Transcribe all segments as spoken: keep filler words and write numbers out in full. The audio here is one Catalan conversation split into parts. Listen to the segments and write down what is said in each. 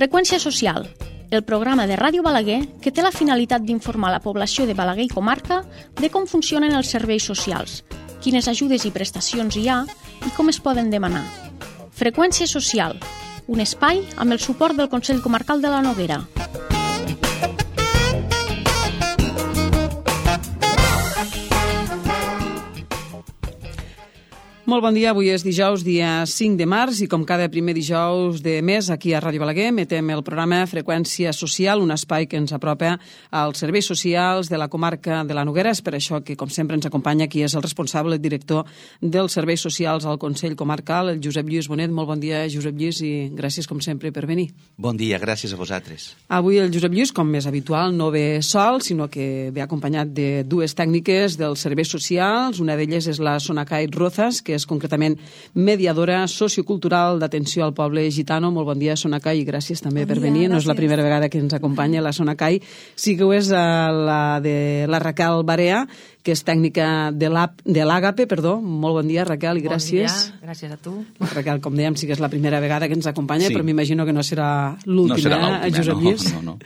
Freqüència social, el programa de Ràdio Balaguer que té la finalitat d'informar la població de Balaguer i comarca de com funcionen els serveis socials, quines ajudes i prestacions hi ha i com es poden demanar. Freqüència social, un espai amb el suport del Consell Comarcal de la Noguera. Molt bon dia, avui és dijous, dia cinc de març, i com cada primer dijous de mes, aquí a Ràdio Balaguer, metem el programa Freqüència Social, un espai que ens apropa als serveis socials de la comarca de la Noguera. És per això que, com sempre, ens acompanya qui és el responsable, el director dels serveis socials al Consell Comarcal, el Josep Lluís Bonet. Molt bon dia, Josep Lluís, i gràcies, com sempre, per venir. Bon dia, gràcies a vosaltres. Avui el Josep Lluís, com és habitual, no ve sol, sinó que ve acompanyat de dues tècniques dels serveis socials. Una d'elles és la Sonacay Rozas, que és concretament mediadora sociocultural d'atenció al poble gitano. Molt bon dia, Sonacay, i gràcies també bon per dia, venir. gràcies. No és la primera vegada que ens acompanya la Sonacay. Sí que ho és la de la Raquel Barea, que és tècnica de l'Àgape, perdó. Molt bon dia, Raquel, i gràcies. Bon dia, gràcies a tu. La Raquel, com dèiem, sí que és la primera vegada que ens acompanya, sí. Però m'imagino que no serà l'última, no serà l'última, Josep no, Lluís. no, no.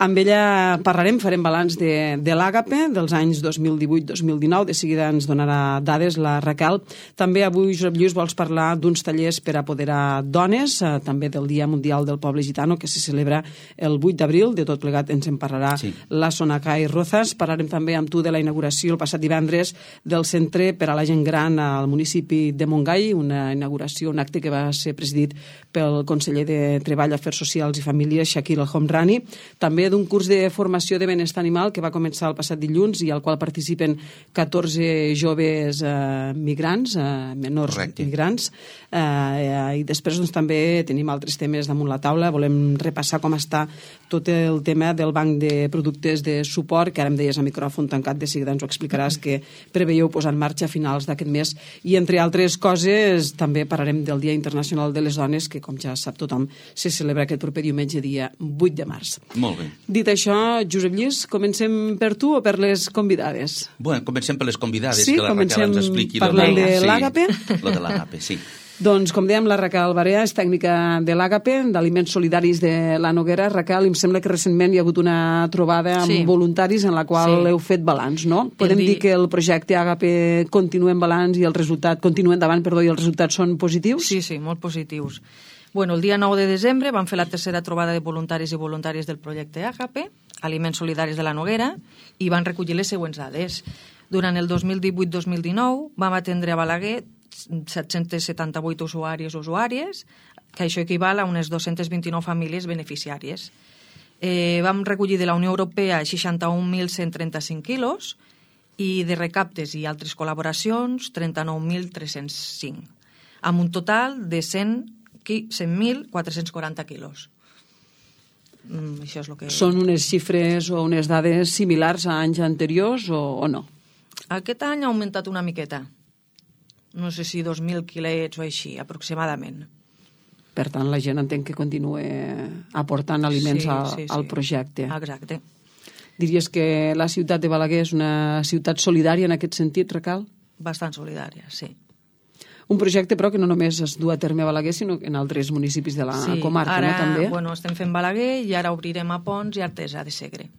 Amb ella parlarem, farem balanç de, de l'Àgape dels anys dos mil divuit dos mil dinou. De seguida ens donarà dades la Raquel. També avui, Josep Lluís, vols parlar d'uns tallers per apoderar dones, eh, també del Dia Mundial del Poble Gitano, que se celebra el vuit d'abril. De tot plegat ens en parlarà sí. la Sonacay Rozas. Parlarem també amb tu de la inauguració el passat divendres del Centre per a la Gent Gran al municipi de Montgai, una inauguració, un acte que va ser presidit pel conseller de Treball, Afers Socials i Famílies, Shakir El Homrani. També d'un curs de formació de benestar animal que va començar el passat dilluns i al qual participen catorze joves eh, migrants, eh, menors Correcte. migrants, eh, eh, i després doncs, també tenim altres temes damunt la taula. Volem repassar com està tot el tema del banc de productes de suport, que ara em deies a micròfon tancat, de seguida ens ho explicaràs, que preveieu posar en marxa a finals d'aquest mes, i entre altres coses també parlarem del Dia Internacional de les Dones, que com ja sap tothom se celebra aquest proper diumenge, dia vuit de març. Molt bé. Dit això, Josep Lluís, comencem per tu o per les convidades? Bueno, comencem per les convidades, sí, que la Raquel ens expliqui. Sí, comencem parlant de sí, l'Àgape. Lo de l'Àgape, sí. Doncs, com dèiem, la Raquel Barea és tècnica de l'Àgape, d'Aliments Solidaris de la Noguera. Raquel, em sembla que recentment hi ha hagut una trobada amb sí. voluntaris en la qual sí. heu fet balanç, no? Podem dir... dir que el projecte Àgape continua en balanç i el resultat, continua endavant, perdó, i els resultats són positius? Sí, sí, molt positius. Bueno, el dia nou de desembre vam fer la tercera trobada de voluntaris i voluntàries del projecte Àgape, Aliments Solidaris de la Noguera, i van recollir les següents dades. Durant el dos mil divuit dos mil dinou vam atendre a Balaguer set-cents setanta-vuit usuaris o usuàries, que això equival a unes dos-centes vint-i-nou famílies beneficiàries. Eh, vam recollir de la Unió Europea seixanta-un mil cent trenta-cinc quilos i de recaptes i altres col·laboracions trenta-nou mil tres-cents cinc, amb un total de cent mil quatre-cents quaranta quilos. Mm, això és el que... Són unes xifres o unes dades similars a anys anteriors o, o no? Aquest any ha augmentat una miqueta. No sé si dos mil quilets o així, aproximadament. Per tant, la gent entenc que continua aportant aliments sí, a, sí, sí. al projecte. Exacte. Diries que la ciutat de Balaguer és una ciutat solidària en aquest sentit, Raquel? Bastant solidària, sí. Un projecte, però, que no només es du a terme a Balaguer, sinó en altres municipis de la sí, comarca, ara, no, també? Bueno, estem fent Balaguer i ara obrirem a Pons i Artesa de Segre.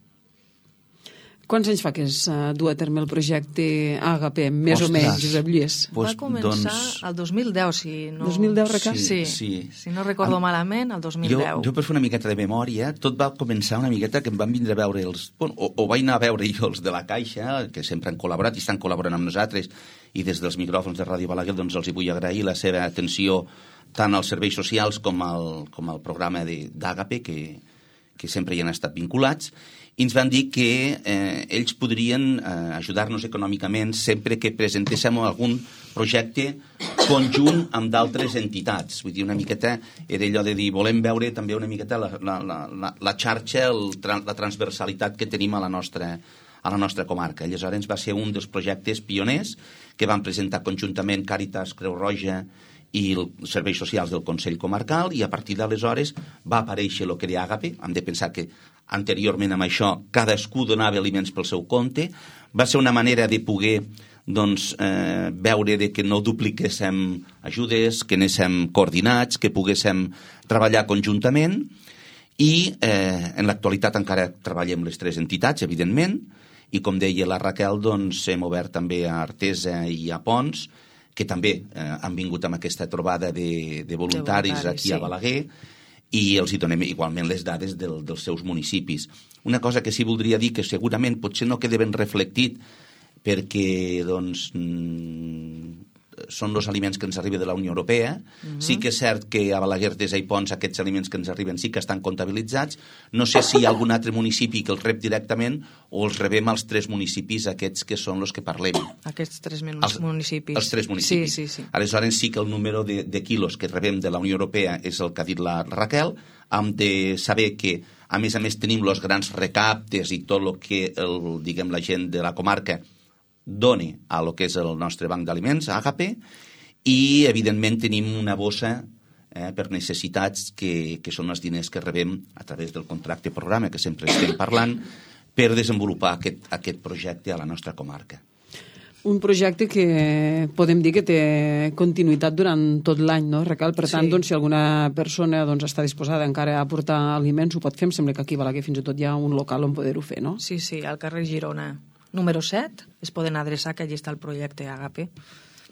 Quants anys fa que es uh, du a terme el projecte Àgape, més Ostres. o menys, Josep Lluís? Pues, Va començar doncs... el dos mil deu, si no... dos mil deu, Raquel? Sí, sí. Si no recordo Am... malament, el dos mil deu. Jo, jo per fer una miqueta de memòria, tot va començar una miqueta que em van vindre a veure els... Bueno, o, o vaig anar a veure jo els de la Caixa, que sempre han col·laborat i estan col·laborant amb nosaltres, i des dels micròfons de Ràdio Balaguer doncs els hi vull agrair la seva atenció tant als serveis socials com al, com al programa d'Àgape, que, que sempre hi han estat vinculats, i ens van dir que eh, ells podrien eh, ajudar-nos econòmicament sempre que presentéssim algun projecte conjunt amb d'altres entitats. Vull dir, una miqueta era allò de dir, volem veure també una miqueta la, la, la, la xarxa, el, la transversalitat que tenim a la nostra a la nostra comarca. Aleshores va ser un dels projectes pioners que van presentar conjuntament Càritas, Creu Roja i els serveis socials del Consell Comarcal, i a partir d'aleshores va aparèixer el que era Àgape. Hem de pensar que anteriorment amb això cadascú donava aliments pel seu compte. Va ser una manera de poder doncs, eh, veure de que no dupliquéssim ajudes, que anéssim coordinats, que poguéssim treballar conjuntament. I eh, en l'actualitat encara treballem les tres entitats, evidentment, i com deia la Raquel, doncs hem obert també a Artesa i a Pons, que també eh, han vingut amb aquesta trobada de, de voluntaris, de voluntaris aquí sí. a Balaguer, i els hi donem igualment les dades del, dels seus municipis. Una cosa que sí voldria dir, que segurament potser no queda ben reflectit, perquè doncs, són els aliments que ens arriben de la Unió Europea. Uh-huh. Sí que és cert que a Balaguer, Artesa i Pons aquests aliments que ens arriben sí que estan comptabilitzats. No sé si hi ha algun altre municipi que els rep directament o els rebem als tres municipis aquests que són els que parlem. Aquests tres els, municipis. Els tres municipis. Sí, sí, sí. Aleshores sí que el número de, de quilos que rebem de la Unió Europea és el que ha dit la Raquel. Hem de saber que, a més a més, tenim els grans recaptes i tot el que el, diguem, la gent de la comarca doni a lo que és el nostre banc d'aliments, Àgape, i evidentment tenim una bossa eh, per necessitats que, que són els diners que rebem a través del contracte programa que sempre estem parlant per desenvolupar aquest, aquest projecte a la nostra comarca. Un projecte que podem dir que té continuïtat durant tot l'any, no, Raquel? Per tant, sí. doncs, si alguna persona doncs, està disposada encara a portar aliments, ho pot fer. Em sembla que aquí a Balaguer fins i tot hi ha un local on poder-ho fer, no? Sí, sí, al carrer Girona número set, es poden adreçar, que allí està el projecte Àgape.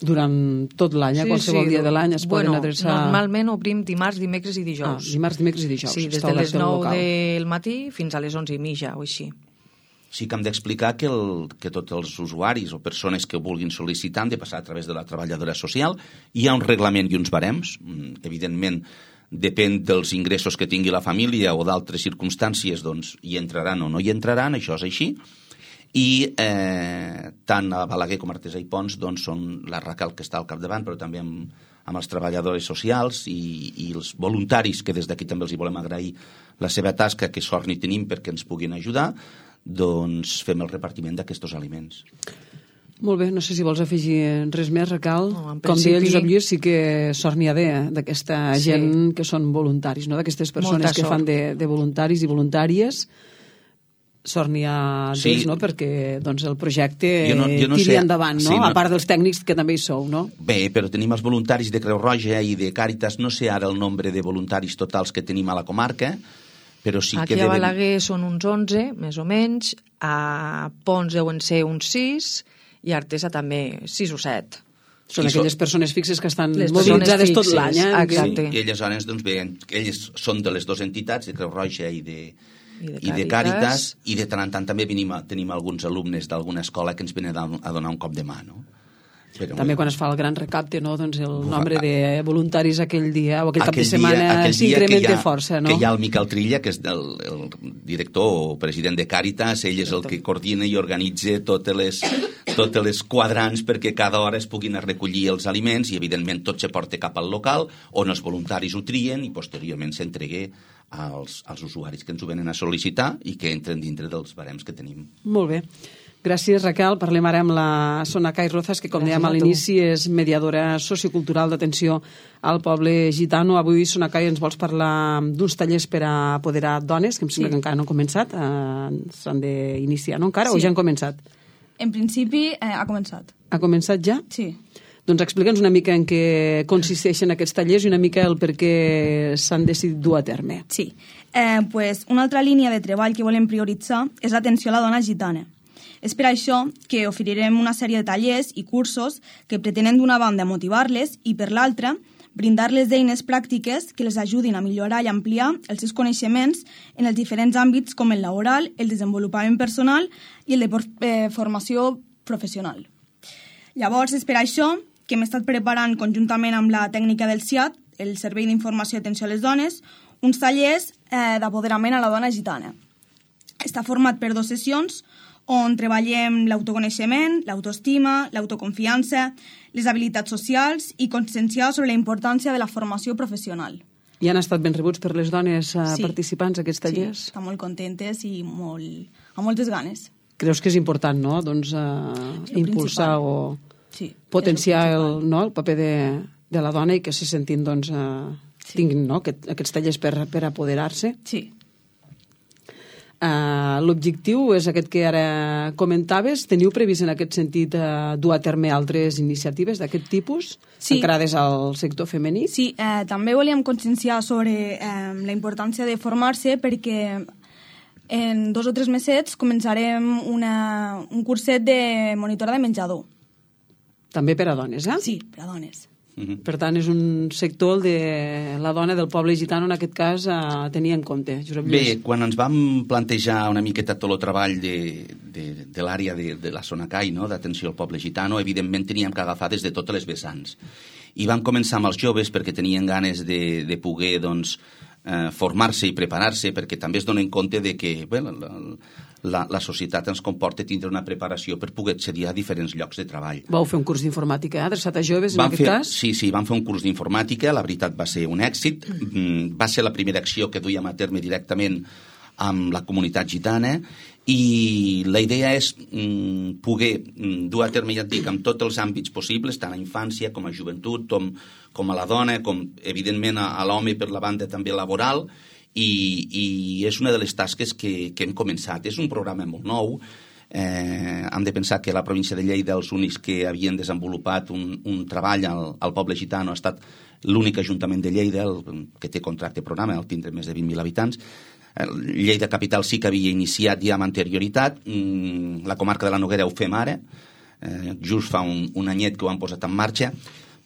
Durant tot l'any, a sí, qualsevol sí. dia de l'any es bueno, poden adreçar... Normalment obrim dimarts, dimecres i dijous. Ah, dimarts, dimecres i dijous. Sí, des de les nou del matí fins a les onze i mitja o així. Sí que hem d'explicar que, el, que tots els usuaris o persones que ho vulguin sol·licitar han de passar a través de la treballadora social. Hi ha un reglament i uns barems. Evidentment, depèn dels ingressos que tingui la família o d'altres circumstàncies, doncs hi entraran o no hi entraran, això és així. I eh, tant a Balaguer com a Artesa i Pons doncs, són la Raquel que està al capdavant, però també amb, amb els treballadors socials i, i els voluntaris, que des d'aquí també els hi volem agrair la seva tasca, que sort ni tenim perquè ens puguin ajudar, doncs fem el repartiment d'aquests aliments. Molt bé, no sé si vols afegir res més, Raquel. No, principi... Com deia el Josep Lluís, sí que sort n'hi ha de, d'aquesta sí. gent que són voluntaris, no? D'aquestes persones Molta que sort. fan de, de voluntaris i voluntàries. Sort n'hi ha d'ells, sí. no? Perquè doncs, el projecte no, no tiri sé. endavant, no? Sí, no? A part dels tècnics que també hi sou, no? Bé, però tenim els voluntaris de Creu Roja i de Càritas, no sé ara el nombre de voluntaris totals que tenim a la comarca, però sí Aquí que... Aquí a devem... Balaguer són uns onze, més o menys, a Pons deuen ser uns sis, i a Artesa també sis o set. Són I aquelles són... persones fixes que estan les mobilitzades tot l'any. Eh? Exacte. Sí, i aleshores, doncs bé, ells són de les dues entitats, de Creu Roja i de... I de, i de Càritas, i de tant en tant també venim, tenim alguns alumnes d'alguna escola que ens venen a donar un cop de mà, no? Però, també quan es fa el gran recapte, no? Doncs el nombre de voluntaris aquell dia o aquell, aquell cap de setmana s'incrementa força, no? Que hi ha el Miquel Trilla, que és el, el director o president de Càritas, ell és el que coordina i organitza totes les, totes les quadrants perquè cada hora es puguin recollir els aliments i, evidentment, tot se porta cap al local on els voluntaris ho trien i posteriorment s'entregue als, als usuaris que ens ho venen a sol·licitar i que entren dintre dels barems que tenim. Molt bé. Gràcies, Raquel. Parlem ara amb la Sonacay Rozas, que, com dèiem a l'inici, és mediadora sociocultural d'atenció al poble gitano. Avui, Sonacay, ens vols parlar d'uns tallers per a apoderar dones, que em sembla sí. que encara no han començat. Eh, S'han d'iniciar, no encara? Sí. O ja han començat? En principi, eh, ha començat. Ha començat ja? Sí. Doncs explica'ns una mica en què consisteixen aquests tallers i una mica el per què s'han decidit dur a terme. Sí. Eh, pues una altra línia de treball que volem prioritzar és l'atenció a la dona gitana. És per això que oferirem una sèrie de tallers i cursos que pretenen d'una banda motivar-les i per l'altra brindar-les eines pràctiques que les ajudin a millorar i ampliar els seus coneixements en els diferents àmbits com el laboral, el desenvolupament personal i el de eh, formació professional. Llavors, és per això que hem estat preparant conjuntament amb la tècnica del C I A T, el Servei d'Informació i Atenció a les Dones, uns tallers eh, d'apoderament a la dona gitana. Està format per dues sessions on treballem l'autoconeixement, l'autoestima, l'autoconfiança, les habilitats socials i conscienciar sobre la importància de la formació professional. I han estat ben rebuts per les dones eh, sí. participants a aquests tallers? Sí, estan molt contentes i molt, amb moltes ganes. Creus que és important, no?, doncs, eh, impulsar o sí, potenciar el, no, el paper de, de la dona i que se sentin, doncs, eh, sí. tinguin, no?, aquest, aquests tallers per, per apoderar-se? Sí. Uh, l'objectiu és aquest que ara comentaves. Teniu previst en aquest sentit uh, dur a terme altres iniciatives d'aquest tipus, sí. encarades al sector femení? Sí, eh, també volíem conscienciar sobre eh, la importància de formar-se, perquè en dos o tres mesets començarem una, un curset de monitora de menjador. També per a dones, eh? Sí, per a dones. Uh-huh. Per tant, és un sector de la dona del poble gitano, en aquest cas, a tenir en compte. Josep Lluís. Bé, quan ens vam plantejar una miqueta tot el treball de, de, de l'àrea de, de la Sonacai, no?, d'atenció al poble gitano, evidentment teníem que agafar des de totes les vessants. I vam començar amb els joves perquè tenien ganes de, de poder, doncs, eh, formar-se i preparar-se, perquè també es donen compte de que, bé, la, la, la societat ens comporta tindre una preparació per poder accedir a diferents llocs de treball. Vau fer un curs d'informàtica, eh? adreçat a joves, vam en aquest fer, cas? Sí, sí, vam fer un curs d'informàtica, la veritat va ser un èxit, mm. va ser la primera acció que duíem a terme directament amb la comunitat gitana, i la idea és mm, poder mm, dur a terme, ja et dic, amb tots els àmbits possibles, tant a infància com a joventut, com, com a la dona, com evidentment a, a l'home per la banda també laboral, i, i és una de les tasques que, que hem començat. És un programa molt nou. Eh, hem de pensar que la província de Lleida, els únics que havien desenvolupat un, un treball al, al poble gitano, ha estat l'únic ajuntament de Lleida el, que té contracte programa, al tindre més de vint mil habitants. Lleida Capital sí que havia iniciat ja amb anterioritat. La comarca de la Noguera ho fem ara, eh, just fa un, un anyet que ho han posat en marxa.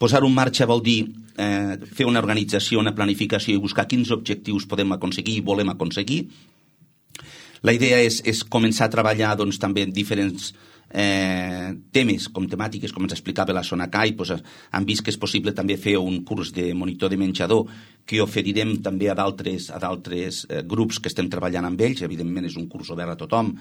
Posar-ho en marxa vol dir eh, fer una organització, una planificació i buscar quins objectius podem aconseguir i volem aconseguir. La idea és, és començar a treballar, doncs, també en diferents eh, temes, com temàtiques, com ens explicava la Sonacai. Doncs, han vist que és possible també fer un curs de monitor de menjador que oferirem també a d'altres a d'altres eh, grups que estem treballant amb ells. Evidentment és un curs obert a tothom,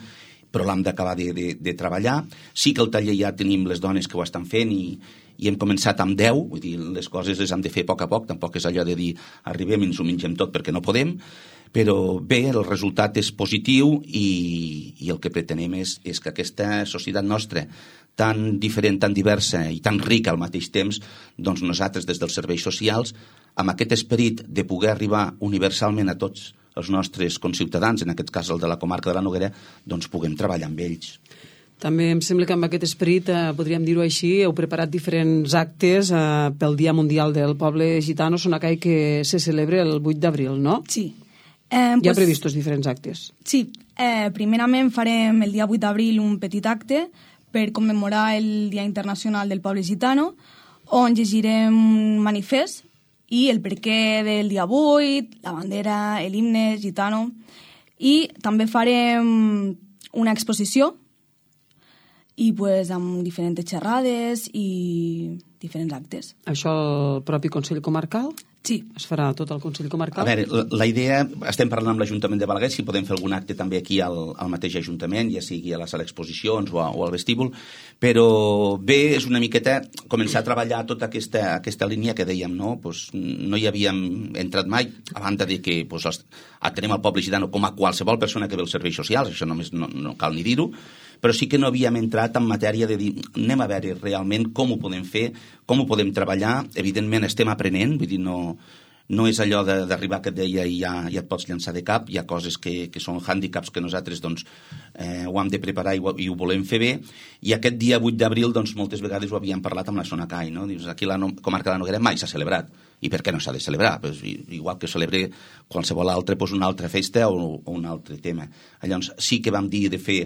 però l'hem d'acabar de, de, de treballar. Sí que al taller ja tenim les dones que ho estan fent i, i hem començat amb deu, vull dir, les coses les hem de fer a poc a poc, tampoc és allò de dir arribem i ens ho mengem tot perquè no podem, però bé, el resultat és positiu i, i el que pretenem és, és que aquesta societat nostra, tan diferent, tan diversa i tan rica al mateix temps, doncs nosaltres des dels serveis socials, amb aquest esperit de poder arribar universalment a tots els nostres conciutadans, en aquest cas el de la comarca de la Noguera, doncs puguem treballar amb ells. També em sembla que amb aquest esperit, eh, podríem dir-ho així, heu preparat diferents actes eh, pel Dia Mundial del Poble Gitano Sonacai, que se celebra el vuit d'abril, no? Sí. Eh, Eh, Hi ha pues, previstos diferents actes. Sí. Eh, primerament farem el dia vuit d'abril un petit acte per commemorar el Dia Internacional del Poble Gitano, on llegirem un manifest i el perquè del dia vuit, la bandera, l'himne gitano, i també farem una exposició i pues, amb diferents xerrades i diferents actes. Això el propi Consell Comarcal? Sí. Es farà tot el Consell Comarcal? A veure, la, la idea, estem parlant amb l'Ajuntament de Balaguer, si podem fer algun acte també aquí al, al mateix Ajuntament, ja sigui a la sala d'exposicions o, a, o al vestíbul, però bé, és una miqueta començar a treballar tota aquesta, aquesta línia que dèiem, no? Pues no hi havíem entrat mai, a banda de que pues, els, atenem al poble gitano com a qualsevol persona que ve als serveis socials, això només no, no cal ni dir-ho, però sí que no havíem entrat en matèria de dir, anem a veure realment com ho podem fer, com ho podem treballar. Evidentment estem aprenent, vull dir, no, no és allò d'arribar que et deia i ja, ja et pots llançar de cap, hi ha coses que, que són hàndicaps que nosaltres doncs, eh, ho hem de preparar i ho, i ho volem fer bé, i aquest dia vuit d'abril doncs, moltes vegades ho havíem parlat amb la Sonacai, no? Dius, aquí la no, comarca de la Noguera mai s'ha celebrat, i per què no s'ha de celebrar? Pues, igual que celebre qualsevol altre, pues, una altra festa o, o un altre tema. Llavors sí que vam dir de fer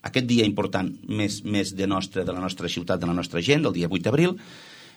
aquest dia important més, més de, nostra, de la nostra ciutat, de la nostra gent, el dia vuit d'abril,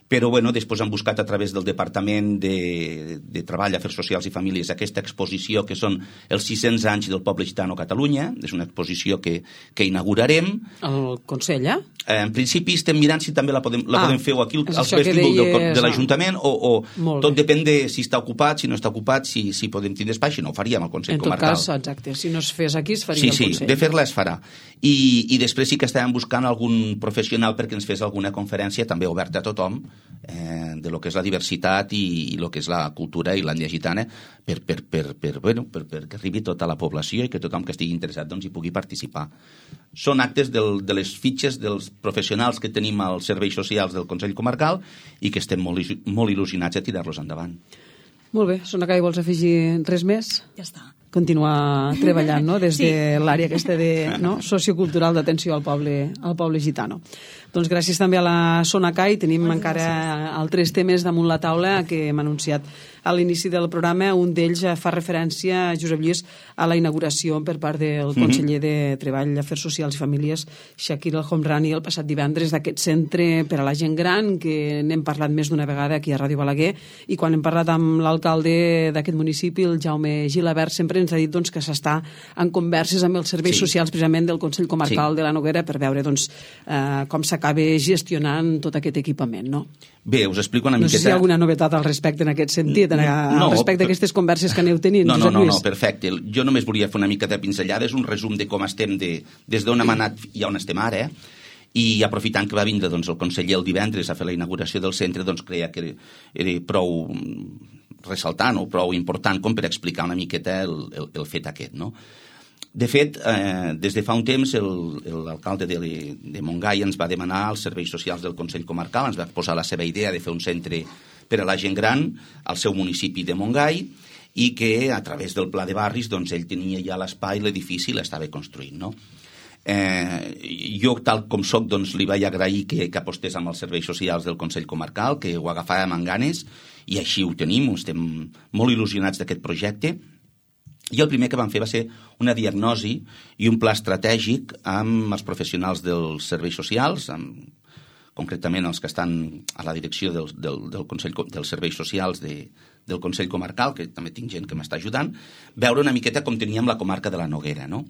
però bueno, després han buscat a través del Departament de, de Treball, Afers Socials i Famílies aquesta exposició que són els sis-cents anys del poble gitano a Catalunya. És una exposició que, que inaugurarem. El Consell, eh? Eh, en principi estem mirant si també la podem, la ah, podem fer aquí al vestíbul deies... de, de l'Ajuntament o, o tot depèn de si està ocupat, si no està ocupat, si, si podem tindre espai, si no ho faríem al Consell en Comarcal. En tot cas, exacte, si no es fes aquí es faria sí, al sí, Consell. Sí, de fer-la es farà. I, I després sí que estàvem buscant algun professional perquè ens fes alguna conferència també oberta a tothom, eh, de lo que és la diversitat i, i lo que és la cultura i l'ètnia gitana per, per, per, per, bueno, per, per que arribi tota la població i que tothom que estigui interessat doncs, hi pugui participar. Són actes del, de les fitxes dels professionals que tenim als serveis socials del Consell Comarcal i que estem molt, molt il·lusionats a tirar-los endavant. Molt bé. Sonacai, vols afegir res més? Ja està. continuar treballant, no?, des Sí. de l'àrea aquesta de, no?, sociocultural d'atenció al poble, al poble gitano. Doncs gràcies també a la Sonacai. Tenim Moltes encara gràcies. altres temes damunt la taula que hem anunciat a l'inici del programa. Un d'ells fa referència, Josep Lluís, a la inauguració per part del conseller de Treball, Afers Socials i Famílies, Shakir El Homrani, el passat divendres, d'aquest centre per a la gent gran, que n'hem parlat més d'una vegada aquí a Ràdio Balaguer, i quan hem parlat amb l'alcalde d'aquest municipi, el Jaume Gilabert, sempre ens ha dit doncs, que s'està en converses amb els serveis Sí. socials precisament del Consell Comarcal Sí. de la Noguera per veure doncs, eh, com s'acaba gestionant tot aquest equipament, no? Bé, us explico una No miqueta... sé si hi ha alguna novetat al respecte en aquest sentit, en, No, al respecte per- d'aquestes converses que aneu tenint, No, no, Josep no, Lluís. no, perfecte. Jo només volia fer una mica de pinzellada, és un resum de com estem de, des d'on hem anat i on estem ara, eh? I aprofitant que va vindre doncs, el conseller el divendres a fer la inauguració del centre, doncs creia que era, era prou ressaltant o prou important com per explicar una miqueta el, el, el fet aquest, no? De fet, eh, des de fa un temps el- l'alcalde de, de Montgai ens va demanar als serveis socials del Consell Comarcal, ens va posar la seva idea de fer un centre per a la gent gran al seu municipi de Montgai i que a través del pla de barris doncs, ell tenia ja l'espai, l'edifici i l'estava construint, no? Eh, jo, tal com soc, doncs, li vaig agrair que, que apostés amb els serveis socials del Consell Comarcal, que ho agafàvem amb ganes, i així ho tenim, estem molt il·lusionats d'aquest projecte. I el primer que vam fer va ser una diagnosi i un pla estratègic amb els professionals dels serveis socials, amb, concretament els que estan a la direcció del, del, del Consell, dels serveis socials de, del Consell Comarcal, que també tinc gent que m'està ajudant, veure una miqueta com teníem la comarca de la Noguera, no?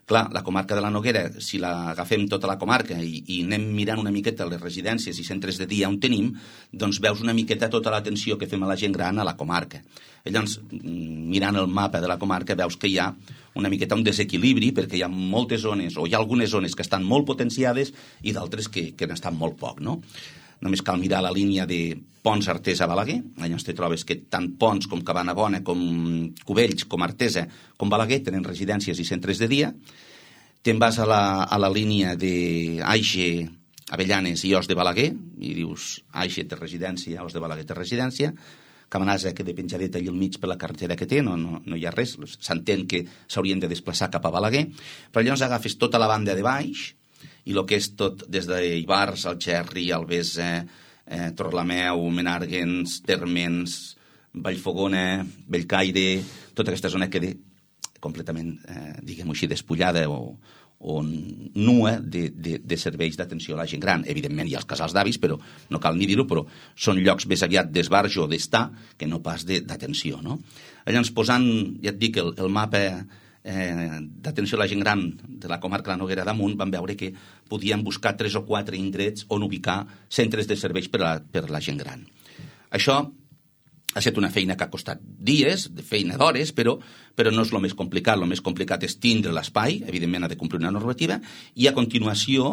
Clar, la comarca de la Noguera, si l'agafem tota la comarca i, i anem mirant una miqueta les residències i centres de dia on tenim, doncs veus una miqueta tota l'atenció que fem a la gent gran a la comarca. Llavors, mirant el mapa de la comarca, veus que hi ha una miqueta un desequilibri, perquè hi ha moltes zones, o hi ha algunes zones que estan molt potenciades i d'altres que, que n'estan molt poc, no? Només cal mirar la línia de Pons, Artesa, Balaguer. Llavors te trobes que tant Pons com Cabanabona, com Cubells, com Artesa, com Balaguer tenen residències i centres de dia. Te'n vas a la, a la línia d'Aixe, Avellanes i Os de Balaguer, i dius Aixe té residència, Os de Balaguer té residència. Cabanasa, que de penjadeta allà al mig per la carretera que té, no, no, no hi ha res. S'entén que s'haurien de desplaçar cap a Balaguer. Però llavors agafes tota la banda de baix, i el que és tot des d'Ibars, Algerri, Albesa, eh, Torlameu, Menàrguens, Térmens, Vallfogona, Bellcaire, tota aquesta zona queda completament, eh, diguem-ho així, despullada o, o nua de, de, de serveis d'atenció a la gent gran. Evidentment hi ha els casals d'avis, però no cal ni dir-ho, però són llocs més aviat d'esbarjo o d'estar que no pas d'atenció, no? Llavors, posant, ja et dic, el, el mapa eh, d'atenció a la gent gran de la comarca de la Noguera damunt, vam veure que podíem buscar tres o quatre indrets on ubicar centres de serveis per a, per a la gent gran. Això ha estat una feina que ha costat dies, de feina d'hores, però, però no és el més complicat. El més complicat és tindre l'espai, evidentment ha de complir una normativa, i a continuació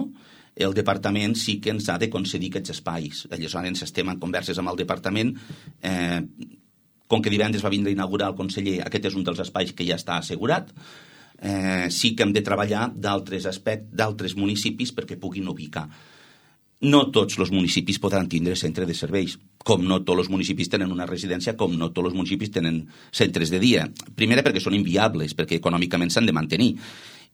el departament sí que ens ha de concedir aquests espais. Aleshores estem en converses amb el departament, eh, com que divendres va vindre a inaugurar el conseller, aquest és un dels espais que ja està assegurat, eh, sí que hem de treballar d'altres aspectes, d'altres municipis perquè puguin ubicar. No tots els municipis podran tindre centre de serveis, com no tots els municipis tenen una residència, com no tots els municipis tenen centres de dia. Primera, perquè són inviables, perquè econòmicament s'han de mantenir.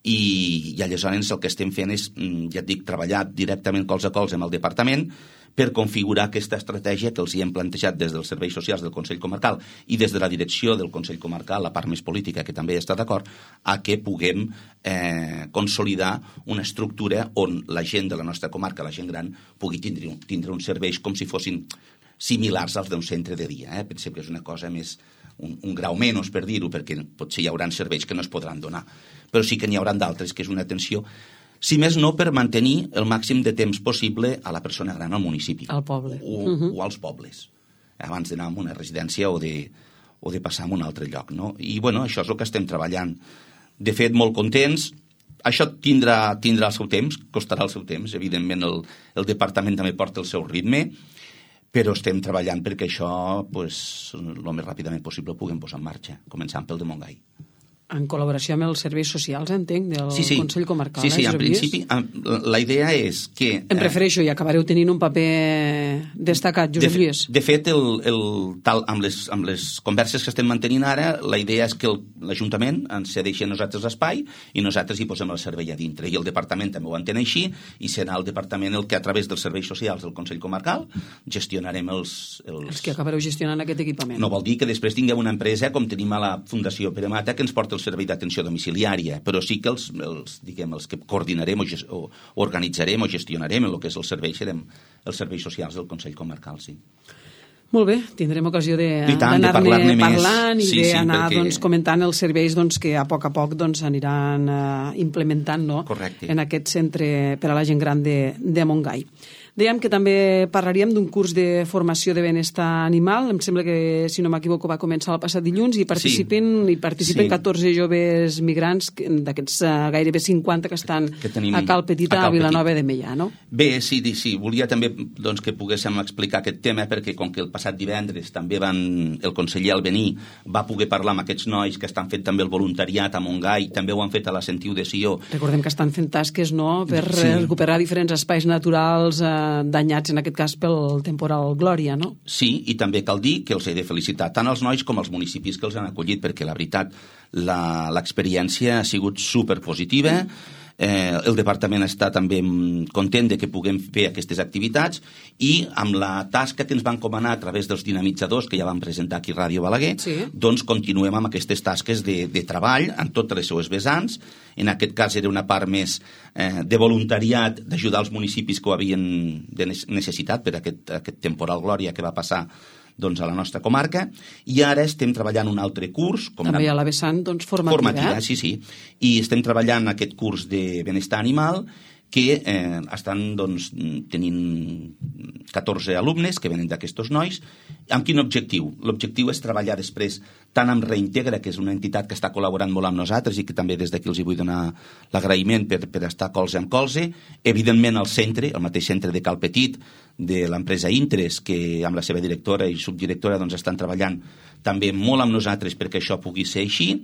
I, i aleshores el que estem fent és, ja et dic, treballar directament cols a cols amb el departament per configurar aquesta estratègia que els hi hem plantejat des dels serveis socials del Consell Comarcal i des de la direcció del Consell Comarcal, la part més política, que també està d'acord, a que puguem eh, consolidar una estructura on la gent de la nostra comarca, la gent gran, pugui tindre, tindre uns serveis com si fossin similars als d'un centre de dia. Eh? Pensem que és una cosa més, un, un grau menys, per dir-ho, perquè potser hi haurà serveis que no es podran donar, però sí que n'hi haurà d'altres, que és una atenció, si més no, per mantenir el màxim de temps possible a la persona gran al municipi. Al poble. O, uh -huh. o als pobles, abans d'anar a una residència o de, o de passar a un altre lloc, no? I, bueno, això és el que estem treballant. De fet, molt contents. Això tindrà, tindrà el seu temps, costarà el seu temps. Evidentment, el, el departament també porta el seu ritme, però estem treballant perquè això, pues, el més ràpidament possible ho puguem posar en marxa, començant pel de Montgai. en col·laboració amb els serveis socials, entenc, del sí, sí. Consell Comarcal. Sí, sí, eh, en principi, la idea és que... Em refereixo, i acabareu tenint un paper destacat, Josep Lluís. De, de fet, el, el, tal, amb, les, amb les converses que estem mantenint ara, la idea és que l'Ajuntament ens cedeixi a nosaltres l'espai i nosaltres hi posem el servei a dintre. I el Departament també ho entén així, i serà el Departament el que, a través dels serveis socials del Consell Comarcal, gestionarem els... Els, els que acabareu gestionant aquest equipament. No vol dir que després tinguem una empresa, com tenim a la Fundació Pere Mata, que ens porta el servei d'atenció domiciliària, però sí que els, els, diguem, els que coordinarem o, gest, o organitzarem o gestionarem el que és el servei, serem els serveis socials del Consell Comarcal, sí. Molt bé, tindrem ocasió d'anar-ne parlant i sí, d'anar sí, perquè... doncs, comentant els serveis doncs, que a poc a poc doncs, aniran uh, implementant, no? Correcte. En aquest centre per a la gent gran de, de Montgai. Dèiem que també parlaríem d'un curs de formació de benestar animal. Em sembla que, si no m'equivoco, va començar el passat dilluns i participen, sí. i participen sí. catorze joves migrants d'aquests uh, gairebé cinquanta que estan que a Cal Petit, a, a Vilanova de Meià, no? Bé, sí, sí. Volia també doncs, que poguéssim explicar aquest tema perquè com que el passat divendres també van, el conseller Albení va poder parlar amb aquests nois que estan fent també el voluntariat a Montgai, també ho han fet a la Sentiu de Sió. Recordem que estan fent tasques, no?, per sí. recuperar diferents espais naturals eh, danyats, en aquest cas, pel temporal Glòria, no? Sí, i també cal dir que els he de felicitar tant els nois com els municipis que els han acollit, perquè la veritat, l'experiència ha sigut superpositiva. Eh, el departament està també content de que puguem fer aquestes activitats i amb la tasca que ens van encomanar a través dels dinamitzadors que ja vam presentar aquí a Ràdio Balaguer, sí. doncs continuem amb aquestes tasques de, de treball en totes les seues vessants. En aquest cas era una part més eh, de voluntariat, d'ajudar els municipis que ho havien de necessitat per aquest, aquest temporal Glòria que va passar doncs, a la nostra comarca, i ara estem treballant un altre curs. Com també a la vessant doncs, formativa. Formativa, eh? sí, sí. I estem treballant aquest curs de benestar animal que eh, estan doncs, tenint catorze alumnes que venen d'aquests nois. Amb quin objectiu? L'objectiu és treballar després tant amb Reintegra, que és una entitat que està col·laborant molt amb nosaltres i que també des d'aquí els hi vull donar l'agraïment per, per estar colze amb colze. Evidentment el centre, el mateix centre de Cal Petit, de l'empresa Intres, que amb la seva directora i subdirectora doncs, estan treballant també molt amb nosaltres perquè això pugui ser així.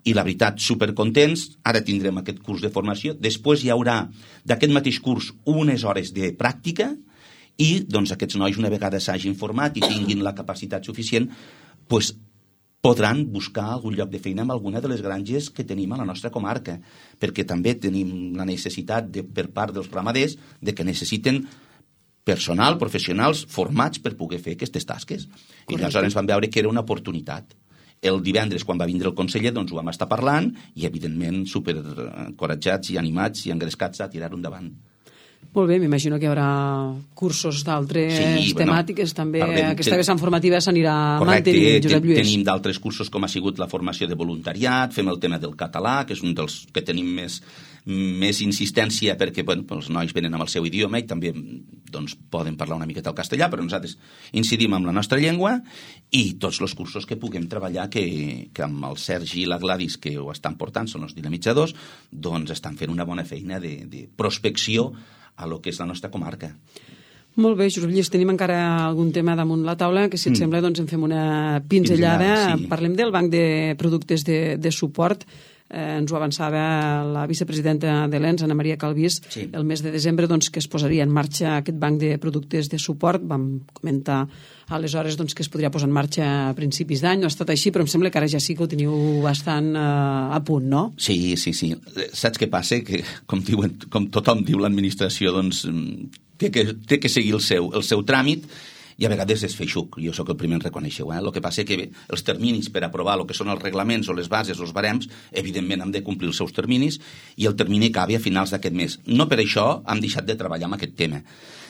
I la veritat, supercontents. Ara tindrem aquest curs de formació. Després hi haurà d'aquest mateix curs unes hores de pràctica i doncs, aquests nois, una vegada s'hagin format i tinguin la capacitat suficient, doncs, podran buscar algun lloc de feina amb alguna de les granges que tenim a la nostra comarca, perquè també tenim la necessitat de, per part dels ramaders de que necessiten personal, professionals formats per poder fer aquestes tasques. Correcte. I aleshores vam veure que era una oportunitat. El divendres, quan va vindre el conseller, doncs ho vam estar parlant i, evidentment, superencoratjats i animats i engrescats a tirar-ho endavant. Molt bé, m'imagino que hi haurà cursos d'altres sí, temàtiques, bueno, també parlem, aquesta vessant formativa s'anirà mantenint, Josep Lluís. Tenim d'altres cursos com ha sigut la formació de voluntariat, fem el tema del català, que és un dels que tenim més, més insistència perquè bueno, els nois venen amb el seu idioma i també doncs, poden parlar una miqueta el castellà, però nosaltres incidim amb la nostra llengua i tots els cursos que puguem treballar que, que amb el Sergi i la Gladys que ho estan portant, són els dinamitzadors, doncs estan fent una bona feina de, de prospecció a lo que és la nostra comarca. Molt bé, Josep Lluís, tenim encara algun tema damunt la taula, que si et mm. sembla doncs en fem una pinzellada. pinzellada sí. Parlem del banc de productes de, de suport. Eh, ens ho avançava la vicepresidenta de l'E N S, Ana Maria Calvís, sí. el mes de desembre doncs, que es posaria en marxa aquest banc de productes de suport. Vam comentar aleshores doncs, que es podria posar en marxa a principis d'any. No ha estat així, però em sembla que ara ja sí que ho teniu bastant eh, a punt, no? Sí, sí, sí. Saps què passa? Que, com, diuen, com tothom diu l'administració, doncs, té que, té que seguir el seu, el seu tràmit i a vegades és feixuc, jo sóc el primer en reconèixer-ho. Eh? El que passa és que bé, els terminis per aprovar el que són els reglaments o les bases o els barems, evidentment hem de complir els seus terminis i el termini acabi a finals d'aquest mes. No per això hem deixat de treballar amb aquest tema.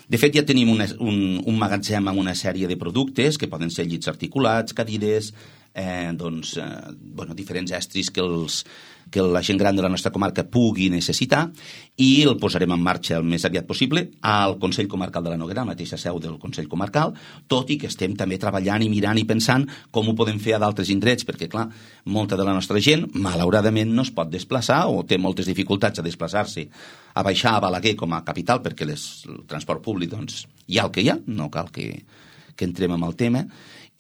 De fet, ja tenim una, un, un magatzem amb una sèrie de productes que poden ser llits articulats, cadires, eh, doncs, eh, bueno, diferents estris que, els, que la gent gran de la nostra comarca pugui necessitar i el posarem en marxa el més aviat possible al Consell Comarcal de la Noguera, la mateixa seu del Consell Comarcal, tot i que estem també treballant i mirant i pensant com ho podem fer a d'altres indrets, perquè, clar, molta de la nostra gent, malauradament, no es pot desplaçar o té moltes dificultats a desplaçar-se a baixar a Balaguer com a capital, perquè les, el transport públic, doncs, hi ha el que hi ha, no cal que, que entrem en el tema,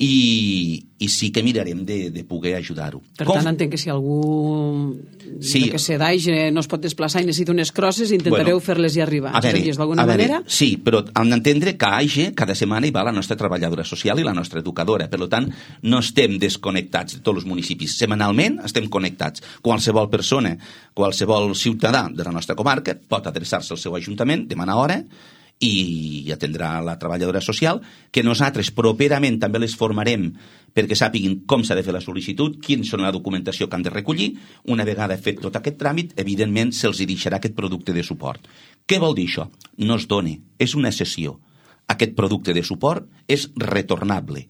i, i sí que mirarem de, de poder ajudar-ho. Per Com... tant, entenc que si algú sí. que sé, d'Aix no es pot desplaçar i necessita unes crosses, intentareu bueno, fer-les i arribar. A veure, d'alguna manera? Sí, però hem d'entendre que a Aix cada setmana hi va la nostra treballadora social i la nostra educadora. Per tant, no estem desconnectats de tots els municipis. Setmanalment estem connectats. Qualsevol persona, qualsevol ciutadà de la nostra comarca pot adreçar-se al seu ajuntament, demanar hora, i atendrà la treballadora social, que nosaltres properament també les formarem perquè sàpiguin com s'ha de fer la sol·licitud, quins són la documentació que han de recollir. Una vegada fet tot aquest tràmit, evidentment se'ls deixarà aquest producte de suport. Què vol dir això? No es dona, és una cessió. Aquest producte de suport és retornable.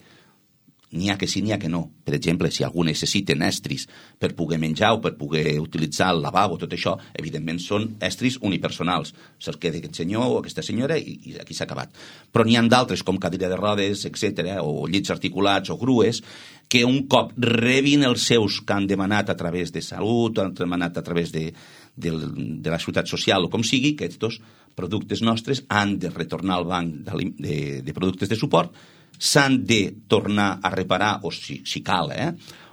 N'hi ha que sí, n'hi ha que no. Per exemple, si algú necessita estris per poder menjar o per poder utilitzar el lavabo, tot això, evidentment són estris unipersonals. Se'ls queda aquest senyor o aquesta senyora i, i aquí s'ha acabat. Però n'hi ha d'altres, com cadira de rodes, etcètera, o llits articulats o grues, que un cop rebin els seus que han demanat a través de Salut, han demanat a través de, de, de la Ciutat Social o com sigui, que aquests productes nostres han de retornar al banc de, de, de productes de suport, s'han de tornar a reparar, o si, si cal, eh?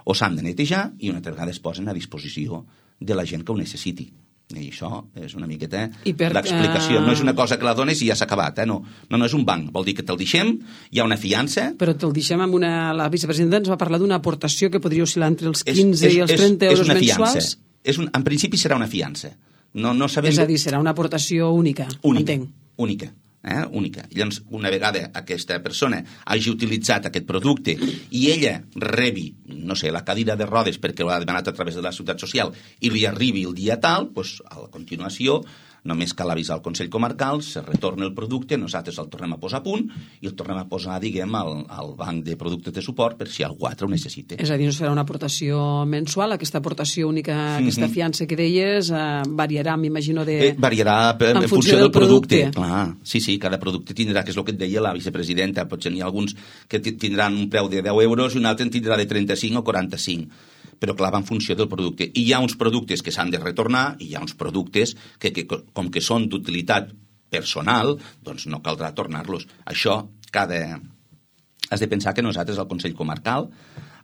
o s'han de netejar, i una altra vegada es posen a disposició de la gent que ho necessiti. I això és una miqueta per, l'explicació. Uh... No és una cosa que la dones i ja s'ha acabat. Eh? No, no, no és un banc. Vol dir que te'l deixem, hi ha una fiança... Però te'l deixem amb una... La vicepresidenta ens va parlar d'una aportació que podria oscil·lar entre els quinze és, és, i els trenta és, euros és mensuals. És un, en principi serà una fiança. No, no sabem... És a dir, serà una aportació única. Única, entenc. única. Eh, única. Llavors, una vegada aquesta persona hagi utilitzat aquest producte i ella rebi, no sé, la cadira de rodes perquè l'ha demanat a través de la Ciutat Social i li arribi el dia tal, doncs, a la continuació només cal avisar al Consell Comarcal, se retorna el producte, nosaltres el tornem a posar a punt i el tornem a posar, diguem, al, al banc de productes de suport per si algú altre ho necessita. És a dir, no serà una aportació mensual, aquesta aportació única, mm-hmm. aquesta fiança que deies, eh, variarà, m'imagino, de... Eh, variarà per, en, en funció, funció del, del producte. producte. Clar, sí, sí, cada producte tindrà, que és el que et deia la vicepresidenta, potser n'hi ha alguns que tindran un preu de deu euros i un altre en tindrà de trenta-cinc o quaranta-cinc. Però clar, va en funció del producte. I hi ha uns productes que s'han de retornar i hi ha uns productes que, que com que són d'utilitat personal, doncs no caldrà tornar-los. Això, cada... Has de pensar que nosaltres, al Consell Comarcal,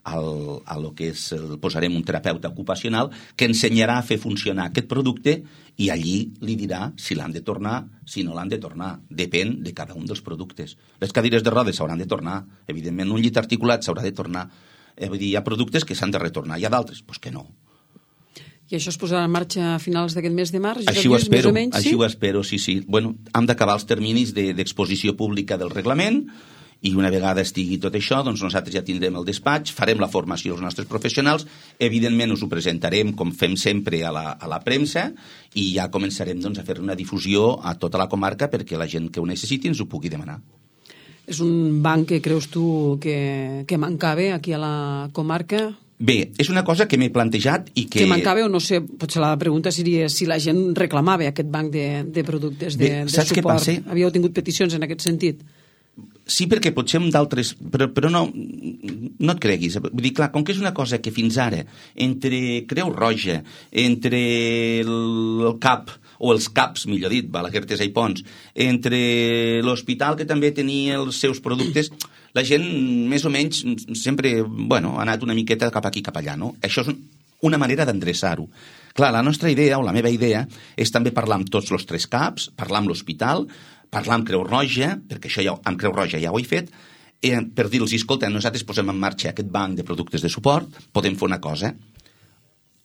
al, a lo que és, el, posarem un terapeuta ocupacional que ensenyarà a fer funcionar aquest producte i allí li dirà si l'han de tornar, si no l'han de tornar. Depèn de cada un dels productes. Les cadires de rodes s'hauran de tornar. Evidentment, un llit articulat s'haurà de tornar. Eh, vull dir, hi ha productes que s'han de retornar, hi ha d'altres, doncs que no. I això es posarà en marxa a finals d'aquest mes de març? Així ho espero, menys, així sí? ho espero, sí, sí. Bueno, hem d'acabar els terminis de, d'exposició pública del reglament i una vegada estigui tot això, doncs nosaltres ja tindrem el despatx, farem la formació als nostres professionals, evidentment us ho presentarem com fem sempre a la, a la premsa i ja començarem doncs, a fer una difusió a tota la comarca perquè la gent que ho necessiti ens ho pugui demanar. És un banc que creus tu que, que mancava aquí a la comarca? Bé, és una cosa que m'he plantejat i que... Que mancava o no sé, potser la pregunta seria si la gent reclamava aquest banc de, de productes de, Bé, de suport. Què passa? Havíeu tingut peticions en aquest sentit? Sí, perquè potser amb d'altres... Però, però no, no et creguis. Vull dir, clar, com que és una cosa que fins ara, entre Creu Roja, entre el, el C A P, o els CAPs, millor dit, Balaguer, Artesa i Pons, entre l'hospital que també tenia els seus productes, la gent més o menys sempre, bueno, ha anat una miqueta cap aquí, cap allà, no? Això és una manera d'endreçar-ho. Clar, la nostra idea, o la meva idea, és també parlar amb tots els tres CAPs, parlar amb l'hospital, parlar amb Creu Roja, perquè això ja, amb Creu Roja ja ho he fet, eh, per dir-los, escolta, nosaltres posem en marxa aquest banc de productes de suport, podem fer una cosa.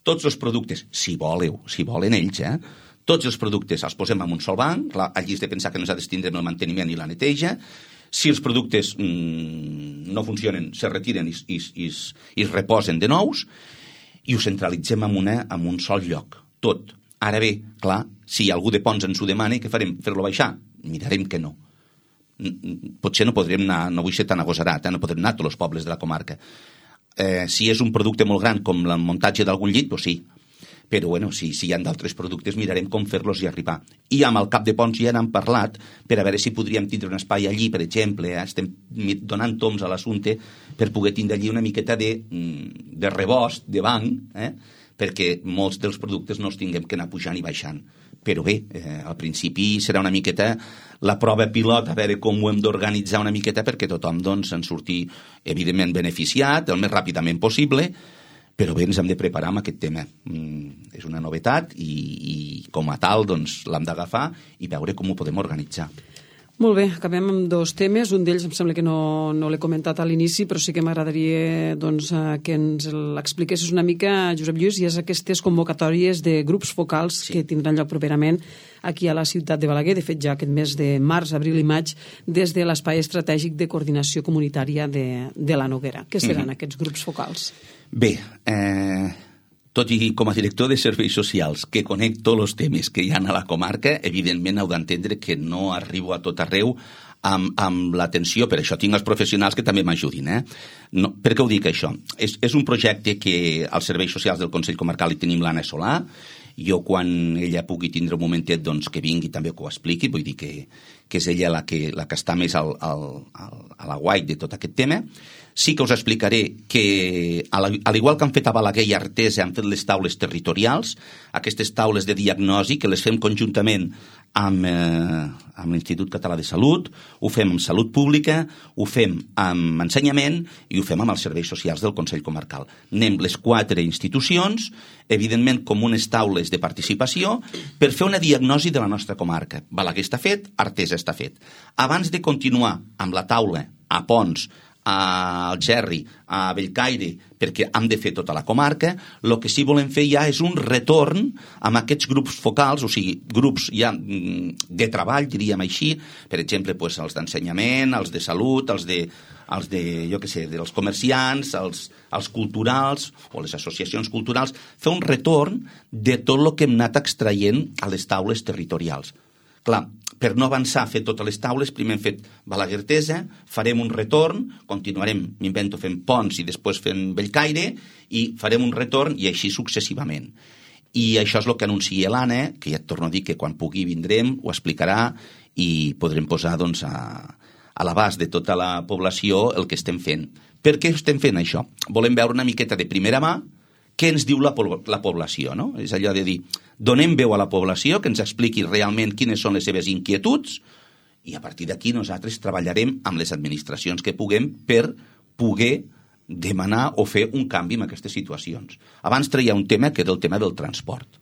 Tots els productes, si voleu, si volen ells, eh, tots els productes els posem en un sol banc, clar, allí és de pensar que nosaltres tindrem el manteniment i la neteja. Si els productes mmm, no funcionen, se retiren i, i, i, i es reposen de nous i ho centralitzem en, una, en un sol lloc, tot. Ara bé, clar, si algú de Pons ens ho demana, què farem? Fer-lo baixar? Mirarem que no. Potser no podrem anar, no vull ser tan agosarat, eh? no podrem anar a tots els pobles de la comarca. Eh, si és un producte molt gran com el muntatge d'algun llit, doncs sí. Però bueno, si, si hi ha d'altres productes mirarem com fer-los i arribar. I amb el cap de Pons ja n'hem parlat per a veure si podríem tindre un espai allí, per exemple, eh? estem donant toms a l'assumpte per poder tindre allí una miqueta de, de rebost, de banc, eh? perquè molts dels productes no els tinguem que anar pujant i baixant. però bé, eh, al principi serà una miqueta la prova pilot, a veure com ho hem d'organitzar una miqueta perquè tothom doncs, en surti evidentment beneficiat el més ràpidament possible, però bé, ens hem de preparar amb aquest tema. Mm, és una novetat i, i com a tal doncs, l'hem d'agafar i veure com ho podem organitzar. Molt bé, acabem amb dos temes. Un d'ells em sembla que no, no l'he comentat a l'inici, però sí que m'agradaria doncs, que ens l'expliquessis una mica, Josep Lluís, i és aquestes convocatòries de grups focals sí. que tindran lloc properament aquí a la ciutat de Balaguer, de fet ja aquest mes de març, abril i maig, des de l'Espai Estratègic de Coordinació Comunitària de, de la Noguera. Què seran mm-hmm. aquests grups focals? Bé, eh... tot i com a director de serveis socials que conec tots els temes que hi ha a la comarca, evidentment heu d'entendre que no arribo a tot arreu amb, amb l'atenció, per això tinc els professionals que també m'ajudin. Eh? No, per què ho dic això? És, és un projecte que als serveis socials del Consell Comarcal hi tenim l'Anna Solà, jo quan ella pugui tindre un momentet doncs, que vingui també que ho expliqui, vull dir que, que és ella la que, la que està més al, al, al, a la guai de tot aquest tema. Sí que us explicaré que, al igual que han fet a Balaguer i Artesa, han fet les taules territorials, aquestes taules de diagnosi, que les fem conjuntament amb, eh, amb l'Institut Català de Salut, ho fem amb Salut Pública, ho fem amb Ensenyament i ho fem amb els serveis socials del Consell Comarcal. Anem les quatre institucions, evidentment com unes taules de participació, per fer una diagnosi de la nostra comarca. Balaguer està fet, Artesa està fet. Abans de continuar amb la taula a Pons, a Algerri, a Bellcaire, perquè hem de fer tota la comarca, el que sí volem fer ja és un retorn amb aquests grups focals, o sigui, grups ja de treball, diríem així, per exemple, pues, els d'ensenyament, els de salut, els de, els de jo què sé, dels comerciants, els, els culturals, o les associacions culturals, fer un retorn de tot el que hem anat extraient a les taules territorials. Clar, per no avançar a fer totes les taules, primer hem fet Balaguer-Artesa, farem un retorn, continuarem, m'invento, fent Pons i després fent Bellcaire, i farem un retorn i així successivament. I això és el que anuncia l'Anna, que ja et torno a dir que quan pugui vindrem, ho explicarà i podrem posar doncs, a, a l'abast de tota la població el que estem fent. Per què estem fent això? Volem veure una miqueta de primera mà què ens diu la, la població, no? És allò de dir, donem veu a la població, que ens expliqui realment quines són les seves inquietuds, i a partir d'aquí nosaltres treballarem amb les administracions que puguem per poder demanar o fer un canvi en aquestes situacions. Abans treia un tema que era el tema del transport.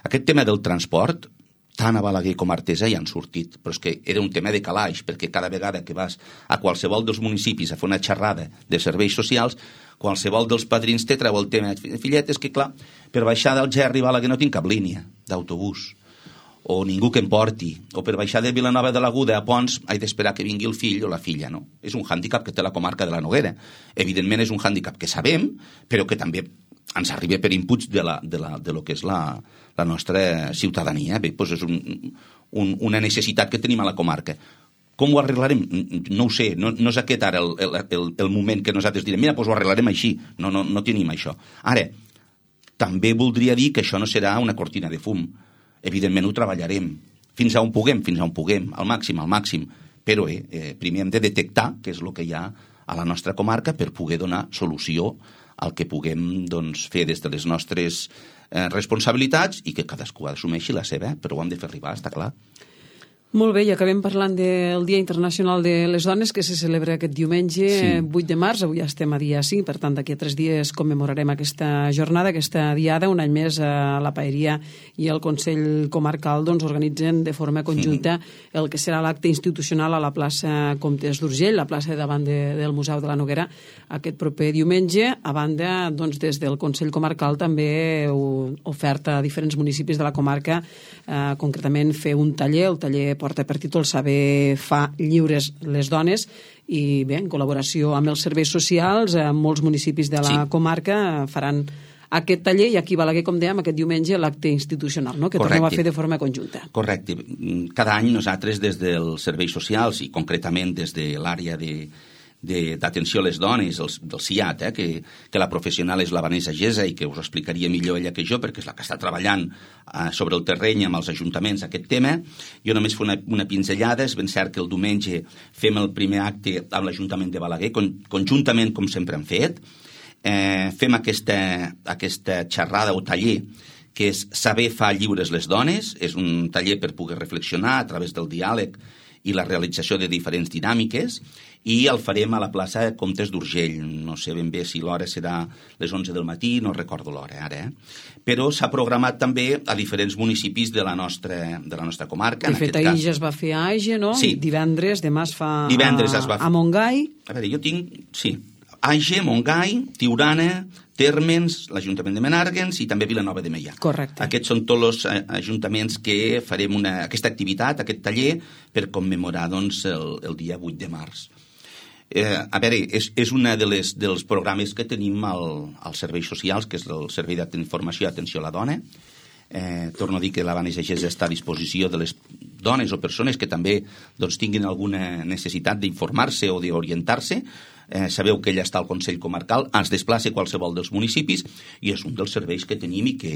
Aquest tema del transport, tant a Balaguer com a Artesa ja han sortit, però és que era un tema de calaix, perquè cada vegada que vas a qualsevol dels municipis a fer una xerrada de serveis socials, qualsevol dels padrins te treu el tema. Fillet, és que clar, per baixar d'Algerri a Balaguer no tinc cap línia d'autobús, o ningú que em porti, o per baixar de Vilanova de l'Aguda a Pons he d'esperar que vingui el fill o la filla, no? És un hàndicap que té la comarca de la Noguera. Evidentment és un hàndicap que sabem, però que també ens arriba per inputs de, la, de, la, de lo que és la, la nostra ciutadania. Bé, doncs és un, un, una necessitat que tenim a la comarca. Com ho arreglarem? No ho sé, no, no és aquest ara el, el, el moment que nosaltres direm, mira, doncs ho arreglarem així. No, no, no tenim això. Ara, també voldria dir que això no serà una cortina de fum. Evidentment ho treballarem. Fins a on puguem, fins a on puguem, al màxim, al màxim. Però eh, eh, primer hem de detectar què és el que hi ha a la nostra comarca per poder donar solució al que puguem doncs, fer des de les nostres eh, responsabilitats i que cadascú assumeixi la seva, però ho hem de fer arribar, està clar. Molt bé, i acabem parlant del Dia Internacional de les Dones, que se celebra aquest diumenge, sí. vuit de març, avui ja estem a dia cinc, per tant d'aquí a tres dies commemorarem aquesta jornada, aquesta diada. Un any més a la Paeria i el Consell Comarcal doncs, organitzen de forma conjunta mm. el que serà l'acte institucional a la plaça Comtes d'Urgell, la plaça davant de, del Museu de la Noguera, aquest proper diumenge. A banda, doncs, des del Consell Comarcal també oferta a diferents municipis de la comarca, eh, concretament fer un taller, el taller porta per títol Saber fa lliures les dones, i bé, en col·laboració amb els serveis socials, en molts municipis de la sí. comarca faran aquest taller, i aquí a Balaguer, com dèiem, aquest diumenge l'acte institucional, no? Que tornem a fer de forma conjunta. Correcte. Cada any nosaltres des dels serveis socials i concretament des de l'àrea de d'atenció a les dones, el, del C I A T, eh, que, que la professional és la Vanessa Gesa i que us explicaria millor ella que jo, perquè és la que està treballant eh, sobre el terreny amb els ajuntaments aquest tema. Jo només faig una, una pinzellada. És ben cert que el diumenge fem el primer acte amb l'Ajuntament de Balaguer, con, conjuntament com sempre hem fet. Eh, fem aquesta, aquesta xerrada o taller que és Saber fa lliures les dones. És un taller per poder reflexionar a través del diàleg i la realització de diferents dinàmiques, i el farem a la plaça Comtes d'Urgell. No sé ben bé si l'hora serà les onze del matí, no recordo l'hora ara, eh? Però s'ha programat també a diferents municipis de la nostra, de la nostra comarca. De fet, ahir ja es va fer a Aige, no? Sí. Divendres, demà es fa Divendres a, es va fer. a Montgai. A veure, jo tinc... Sí. Aige, Montgai, Tiurana, Térmens, l'Ajuntament de Menàrguens i també Vilanova de Meià. Correcte. Aquests són tots els ajuntaments que farem una, aquesta activitat, aquest taller, per commemorar doncs, el, el dia vuit de març. Eh, a veure, és, és un de les, dels programes que tenim al, als serveis socials, que és el Servei d'Informació i Atenció a la Dona. Eh, torno a dir que la Vanessa Gés està a disposició de les dones o persones que també doncs, tinguin alguna necessitat d'informar-se o d'orientar-se. Eh, sabeu que ella està al Consell Comarcal, es desplaça a qualsevol dels municipis i és un dels serveis que tenim i que...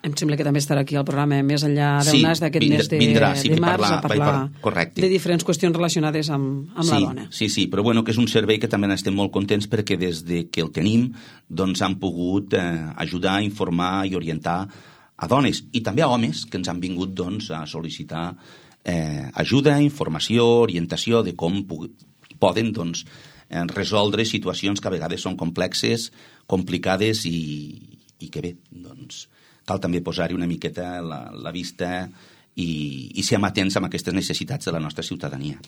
Em sembla que també estarà aquí al programa més enllà del sí, nas d'aquest vindrà, mes de, vindrà, sí, de març parlar, a parlar parlar de diferents qüestions relacionades amb, amb sí, la dona. Sí, sí, però bueno, que és un servei que també n'estem molt contents perquè des de que el tenim doncs han pogut eh, ajudar a informar i orientar a dones i també a homes que ens han vingut doncs, a sol·licitar eh, ajuda, informació, orientació de com poden doncs, resoldre situacions que a vegades són complexes, complicades i, i que bé, doncs cal també posar-hi una miqueta la, la vista i, i ser amatents amb aquestes necessitats de la nostra ciutadania.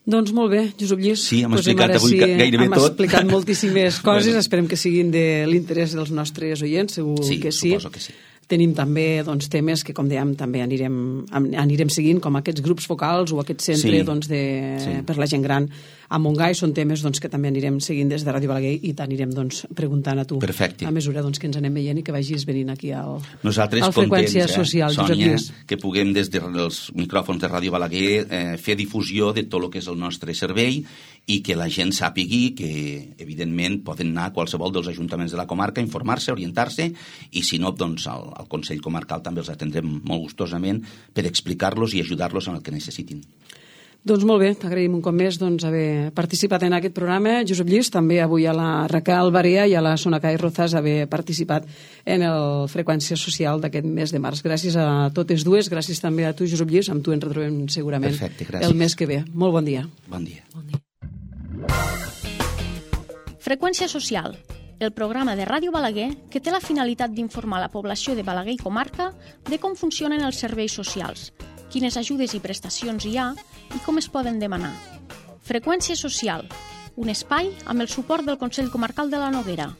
Doncs molt bé, Josep Lluís. Sí, hem pues explicat avui sí, gairebé hem tot. Hem explicat moltíssimes coses, bueno. Esperem que siguin de l'interès dels nostres oients, segur sí, que sí. suposo que sí. Tenim també doncs, temes que, com dèiem, també anirem, anirem seguint, com aquests grups focals o aquest centre sí. doncs, de, sí. per la gent gran a Montgai. Són temes doncs, que també anirem seguint des de Ràdio Balaguer i t'anirem doncs, preguntant a tu. Perfecte. A mesura doncs, que ens anem veient i que vagis venint aquí al, Nosaltres al Freqüència contents, Social. eh, Sònia, que puguem des dels micròfons de Ràdio Balaguer eh, fer difusió de tot el que és el nostre servei i que la gent sàpigui que, evidentment, poden anar a qualsevol dels ajuntaments de la comarca, informar-se, orientar-se, i si no, doncs, al, al Consell Comarcal també els atendrem molt gustosament per explicar-los i ajudar-los en el que necessitin. Doncs molt bé, t'agraïm un cop més doncs, haver participat en aquest programa. Josep Lluís, també avui a la Raquel Barea i a la Sonacai Rozas haver participat en el Freqüència Social d'aquest mes de març. Gràcies a totes dues, gràcies també a tu, Josep Lluís, amb tu ens retrobem segurament Perfecte, gràcies. El mes que ve. Molt bon dia. Bon dia. Bon dia. Freqüència Social, el programa de Ràdio Balaguer que té la finalitat d'informar la població de Balaguer i comarca de com funcionen els serveis socials, quines ajudes i prestacions hi ha i com es poden demanar. Freqüència Social, un espai amb el suport del Consell Comarcal de la Noguera.